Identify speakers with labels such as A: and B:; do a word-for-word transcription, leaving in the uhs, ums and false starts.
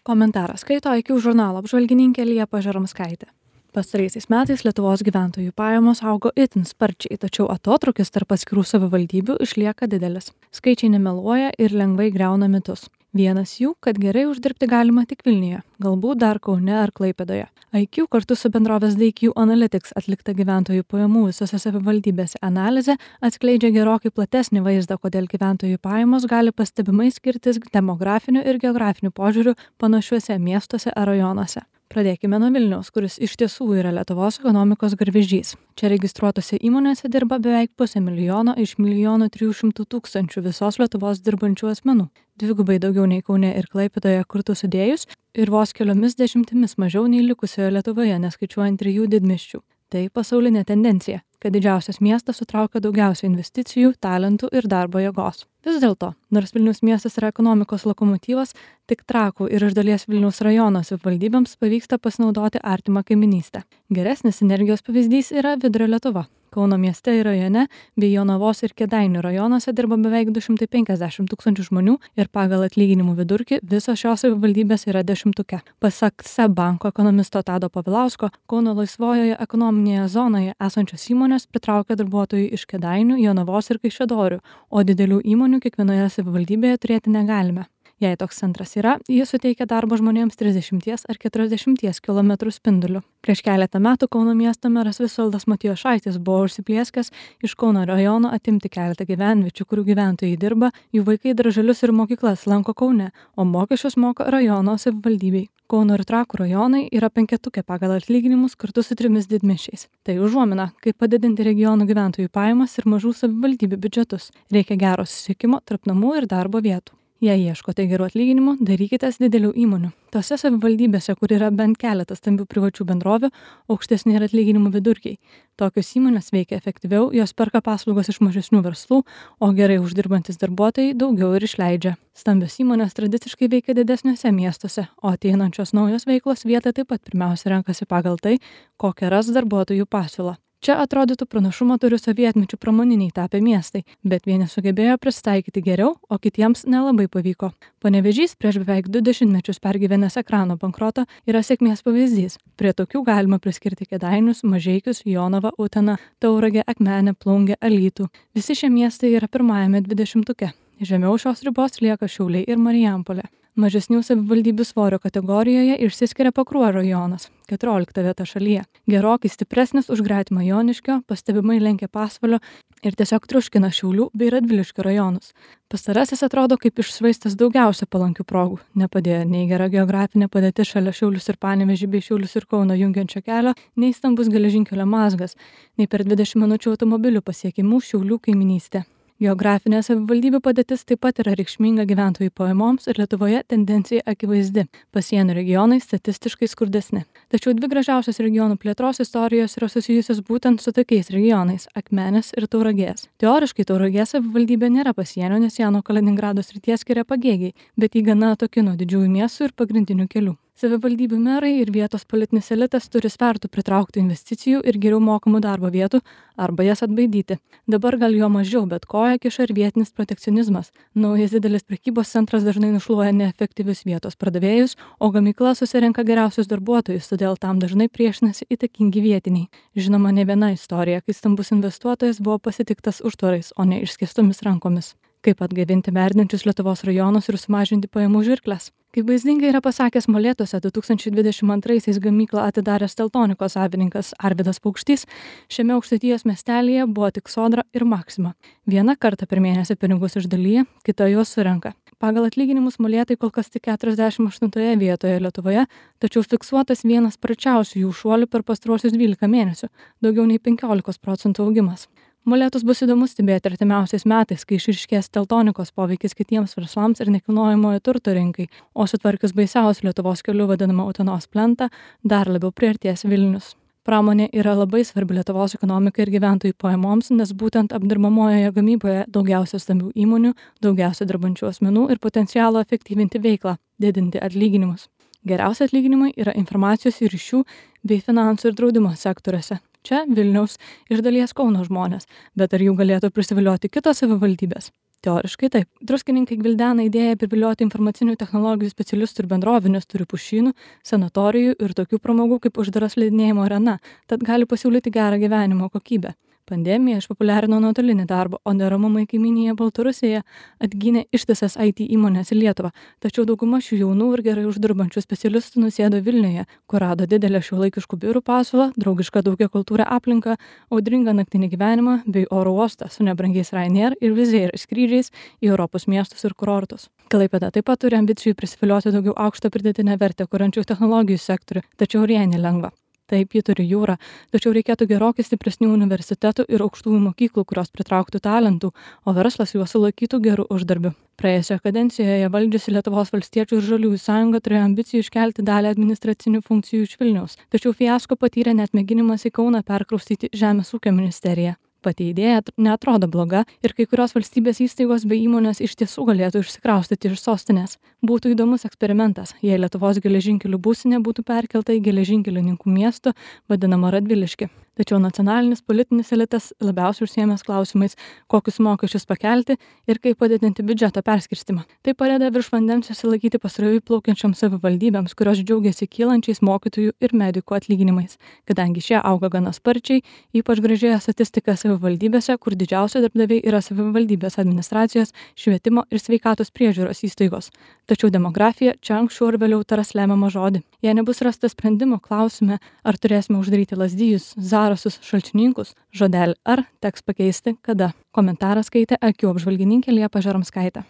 A: Komentarą skaito I Q žurnalo apžvalgininkė Liepa Žaramskaitė. Pastaraisiais metais Lietuvos gyventojų pajamos augo itin sparčiai, tačiau atotrukis tarp atskirų savivaldybių išlieka didelis. Skaičiai nemeluoja ir lengvai griauna mitus. Vienas jų, kad gerai uždirbti galima tik Vilniuje, galbūt dar Kaune ar Klaipėdoje. I Q kartu su bendrovės D Q Analytics atlikta gyventojų pajamų visose savivaldybėse analizė atskleidžia gerokai platesnį vaizdą, kodėl gyventojų pajamos gali pastebimai skirtis demografiniu ir geografiniu požiūriu panašiuose miestuose ar rajonuose. Pradėkime nuo Vilniaus, kuris iš tiesų yra Lietuvos ekonomikos garvežys. Čia registruotose įmonėse dirba beveik pusę milijono iš milijono trijų šimtų tūkstančių visos Lietuvos dirbančių asmenų. Dvigubai daugiau nei Kaune ir Klaipėdoje kartu sudėjus ir vos keliomis dešimtimis mažiau nei likusioje Lietuvoje, neskaičiuojant trijų didmiesčių. Tai pasaulinė tendencija, kad didžiausias miestas sutraukia daugiausiai investicijų, talentų ir darbo jėgos. Vis dėlto, nors Vilniaus miestas yra ekonomikos lokomotyvas, tik Trakų ir iš dalies Vilniaus rajono savivaldybėms pavyksta pasinaudoti artimą kaiminystę. Geresnis sinergijos pavyzdys yra Vidurio Lietuva. Kauno mieste ir rajone bei Jonavos ir Kėdainių rajonuose dirba beveik du šimtai penkiasdešimt tūkstančių žmonių ir pagal atlyginimų vidurkį visos šios savivaldybės yra dešimtuke. Pasak S E B banko ekonomisto Tado Povilausko, Kauno laisvojoje ekonominėje zonoje esančios įmonės pritraukia darbuotojų iš Kėdainių, Jonavos ir Kaišiadorių, o didelių įmonių kiekvienoje savivaldybėje turėti negalime. Jei toks centras yra, jis suteikia darbo žmonėms trisdešimties ar keturiasdešimties kilometrų spinduliu. Prieš keletą metų Kauno miesto meras Visvaldas Matijošaitis buvo užsiplieskęs iš Kauno rajono atimti keletą gyvenviečių, kurių gyventojai dirba, jų vaikai darželius ir mokyklas lanko Kaune, o mokesčius moka rajono savivaldybei. Kauno ir Trakų rajonai yra penketuke pagal atlyginimus kartu su trimis didmiesčiais. Tai užuomina, kaip padidinti regionų gyventojų pajamas ir mažų savivaldybių biudžetus. Reikia gero susisiekimo tarp namų ir darbo vietų. Jei ieškote gerų atlyginimų, darykitės didelių įmonių. Tose savivaldybėse, kur yra bent keletas stambių privačių bendrovių, aukštesni yra atlyginimų vidurkiai. Tokios įmonės veikia efektyviau, jos perka paslaugas iš mažesnių verslų, o gerai uždirbantis darbuotojai daugiau ir išleidžia. Stambios įmonės tradiciškai veikia didesniuose miestuose, o ateinančios naujos veiklos vietą taip pat pirmiausia renkasi pagal tai, kokią ras darbuotojų pasiūlą. Čia atrodytų pranašumą turi sovietmečių pramoniniai tapę miestai, bet vieni sugebėjo prisitaikyti geriau, o kitiems nelabai pavyko. Panevėžys prieš beveik du dešimtmečius pergyvenęs ekrano bankrotą yra sėkmės pavyzdys. Prie tokių galima priskirti Kėdainius, Mažeikius, Jonavą, Uteną, Tauragę, Akmenę, Plungę, Alytų. Visi šie miestai yra pirmajame dvidešimtuke. Žemiau šios ribos lieka Šiauliai ir Marijampolė. Mažesnių savivaldybių svorio kategorijoje išsiskiria Pakruojo rajonas, keturiolikta vieta šalyje. Gerokai stipresnis už gretimą Joniškio, pastebimai lenkia Pasvalio ir tiesiog triuškina Šiaulių bei Radviliškio rajonus. Pastarasis atrodo kaip iššvaistas daugiausia palankių progų. Nepadėjo nei gera geografinė padėtis šalia Šiaulius ir Panevėžį bei Šiaulius ir Kauną jungiančio kelio, nei stambus geležinkelio mazgas, nei per dvidešimt minučių automobilių pasiekimų Šiaulių kaiminystė. Geografinė savivaldybių padėtis taip pat yra reikšminga gyventojų pajamoms ir Lietuvoje tendencija akivaizdi. Pasienio regionai statistiškai skurdesni. Tačiau dvi gražiausios regionų plėtros istorijos yra susijusios būtent su tokiais regionais – Akmenės ir Tauragės. Teoriškai Tauragės savivaldybė nėra pasienio, nes ją nuo Kaliningrado srities skiria Pagėgiai, bet jį gana atoki nuo didžiųjų miestų ir pagrindinių kelių. Savivaldybių merai ir vietos politinis elitas turi svertų pritraukti investicijų ir geriau mokamų darbo vietų arba jas atbaidyti. Dabar gal jo mažiau, bet koja kiša ir vietinis protekcionizmas. Naujas didelis prekybos centras dažnai nušluoja neefektyvius vietos pardavėjus, o gamykla susirenka geriausius darbuotojus, todėl tam dažnai priešinasi įtakingi vietiniai. Žinoma, ne viena istorija, kai stambus investuotojas buvo pasitiktas užtvarais, o ne išskėstomis rankomis. Kaip atgaivinti verdinčius Lietuvos rajonus ir sumažinti pajamų žirkles. Kaip vaizdingai yra pasakęs Molėtuose du tūkstančiai dvidešimt antraisiais gamyklą atidaręs Teltonikos savininkas Arvydas Paukštys, šiame aukštaitijos miestelyje buvo tik Sodra ir Maxima. Vieną kartą per mėnesį pinigus išdalyja, kita juos surenka. Pagal atlyginimus molėtai kol kas tik keturiasdešimt aštuntoje vietoje Lietuvoje, tačiau fiksuotas vienas sparčiausių jų šuolių per pastaruosius dvylika mėnesių, daugiau nei penkiolika procentų augimas. Molėtus bus įdomu stebėti artimiausiais metais, kai išryškės Teltonikos poveikis kitiems verslams ir nekilnojamojo turto rinkai, o sutvarkius baisiausių Lietuvos kelių vadinamą Utenos plentą, dar labiau priartės Vilnius. Pramonė yra labai svarbi Lietuvos ekonomikai ir gyventojų pajamoms, nes būtent apdirbamojoje gamyboje daugiausia stambių įmonių, daugiausia dirbančių asmenų ir potencialo efektyvinti veiklą, didinti atlyginimus. Geriausi atlyginimai yra informacijos ir ryšių bei finansų ir draudimo sektoriuose. Čia Vilniaus iš dalies Kauno žmonės, bet ar jų galėtų prisivilioti kitos savivaldybės? Teoriškai taip. Druskininkai gvildena idėją privilioti informacinių technologijų specialistų ir bendrovių, nes turi pušynų, sanatorijų ir tokių pramogų kaip uždara slidinėjimo arena, tad gali pasiūlyti gerą gyvenimo kokybę. Pandemija išpopuliarino nuotolinį darbą, o neramumai kaimynėje Baltarusijoje atgynė ištisas I T įmonės į Lietuvą, tačiau dauguma šių jaunų ir gerai uždirbančių specialistų nusėdo Vilniuje, kur rado didelę šiuolaikiškų biurų pasiūlą, draugišką daugiakultūrę aplinką, audringą naktinį gyvenimą bei oro uostą su nebrangiais Ryanair ir Wizz Air skrydžiais į Europos miestus ir kurortus. Klaipėda taip pat turi ambicijų prisivilioti daugiau aukštą pridėtinę vertę kuriančių technologijų sektorių, tačiau ir jai nelengva. Taip, ji turi jūrą, tačiau reikėtų gerokai stipresnių universitetų ir aukštųjų mokyklų, kurios pritrauktų talentų, o verslas juos sulaikytų gerų uždarbių. Praėjusioje kadencijoje valdžiusi Lietuvos valstiečių ir žaliųjų sąjunga turėjo ambicijų iškelti dalį administracinių funkcijų iš Vilniaus, tačiau fiasko patyrė net mėginimas į Kauną perkraustyti Žemės ūkio ministeriją. Pati idėja neatrodo bloga ir kai kurios valstybės įstaigos bei įmonės iš tiesų galėtų išsikraustyti iš sostinės. Būtų įdomus eksperimentas, jei Lietuvos geležinkelių būstinė būtų perkelta į geležinkelininkų miestą, vadinamą Radviliškį. Tačiau nacionalinis politinis elitas labiausiai užsiėmęs klausimais, kokius mokesčius pakelti ir kaip padidinti biudžeto perskirstimą. Tai padeda virš vandens susilaikyti pasroviui plaukiančioms savivaldybėms, kurios džiaugiasi kylančiais mokytojų ir medikų atlyginimais, kadangi šie auga gana sparčiai, ypač gražėja statistika savivaldybėse, kur didžiausia darbdaviai yra savivaldybės administracijos, švietimo ir sveikatos priežiūros įstaigos. Tačiau demografija čia anksčiau ir vėliau taras lemiamą žodį. Jei nebus rastas sprendimo, klausime, ar turėsime uždaryti Lazdijus, Zarasus, Šalčininkus, žodelį ar teks pakeisti kada. Komentarą skaitė akių apžvalgininkė Liepa Žaromskaitė.